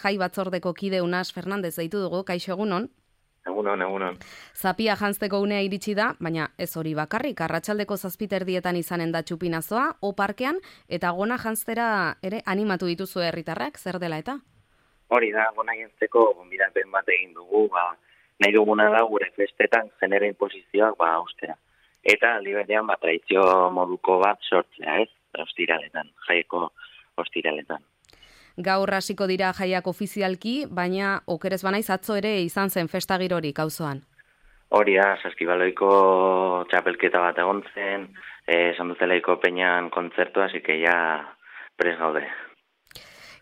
jai batzordeko kide Unas Fernandez deitu dugu, kaixo egunon. Egunon. Zapia janzteko unea iritsi da, baina ez hori bakarrik, arratsaldeko 7:00 izanen da txupinazoa, parkean eta gona janztera ere animatu dituzu herritarrak, zer dela eta? Hori da, gona janzteko gonbidapen bat egin dugu, nahi duguna da gure festetan genero inposizioak ustera. Eta aldi berean tradizio moduko bat sortzea, ez? Ostiraletan, jaieko ostiraletan. Gaur hasiko dira jaiak ofizialki, baina okerez banaiz atzo ere izan zen festa girorik auzoan. Hori da, Saskibaloiko txapelketa bat egon zen, Sanduzelaiko peñan kontzertua, así que ya prest gaude.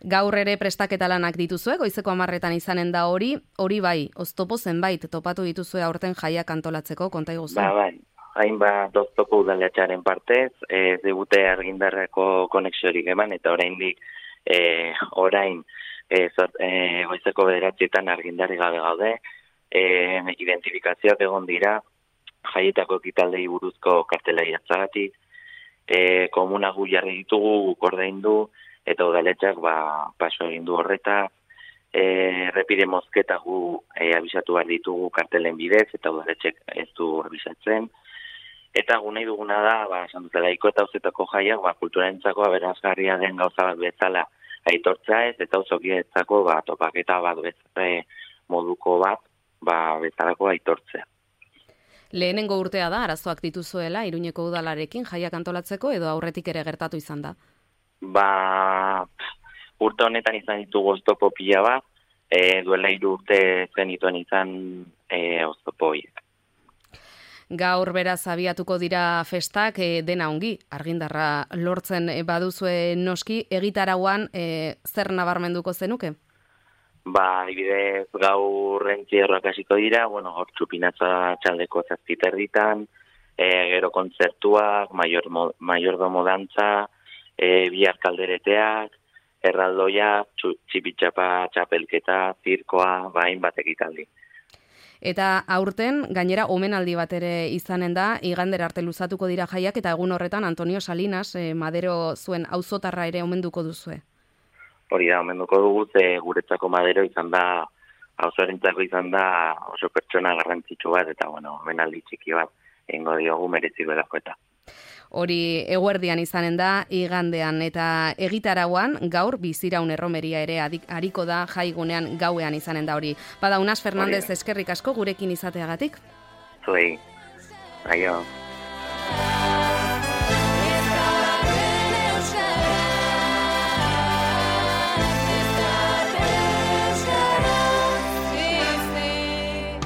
Gaur ere prestaketa lanak dituzue, goizeko 10:00 izanen da hori bai, oztopo zenbait topatu dituzue aurten jaiak antolatzeko, konta iguzu. Bai. Hainbat oztopo udaletxearen partez, ez digute argindarreko konexiorik eman, eta oraindik goizeko 9:00 argindarri gabe gaude, identifikazioak egon dira, jaietako ekitaldei buruzko kartelai atzagatik, komuna gu jarri ditugu, guk ordaindu, eta udaletxak paso egin du horreta, errepide mozketa gu abisatu behar ditugu kartelen bidez, eta udaletxek ez du abisatzen. Eta gu nahi duguna da, Sanduzelaiko eta auzetako jaiak, kulturarentzako aberasgarria den gauza bat bezala aitortza ez, eta auzokietzako topaketa bat moduko bat, bezalako aitortzea. Lehenengo urtea da, arazoak dituzuela, Iruñeko udalarekin jaiak antolatzeko, edo aurretik ere gertatu izan da? Urte honetan izan ditugu oztopo pila bat, duela 3 urte zenituen izan oztopo horiek. Gaur beraz abiatuko dira festak, dena ongi, argindarra lortzen baduzue noski, egitarauan zer nabarmenduko zenuke? Adibidez gaur entzierroak hasiko dira, hor txupinatza txaldeko 7:30, gero kontzertuak, maiordomo dantza, bihar kaldereteak, erraldoia, txipitxapa txapelketa, zirkoa, hainbat ekitaldi. Eta aurten, gainera, omenaldi bat ere izanen da, igandera arte luzatuko dira jaiak, eta egun horretan Antonio Salinas, Madero zuen auzotarra ere omenduko duzue. Hori da, omenduko dugu, guretzako Madero izan da, auzoarentzako izan da oso pertsona garrantzitsu bat, eta omenaldi txiki bat, egingo diogu merezi belako eta. Hori eguerdian izanen da, igandean, eta egitarauan gaur biziraun erromeria ere hariko da jaigunean gauean izanen da hori. Unas Fernandez eskerrik asko gurekin izateagatik. Zuei, aio.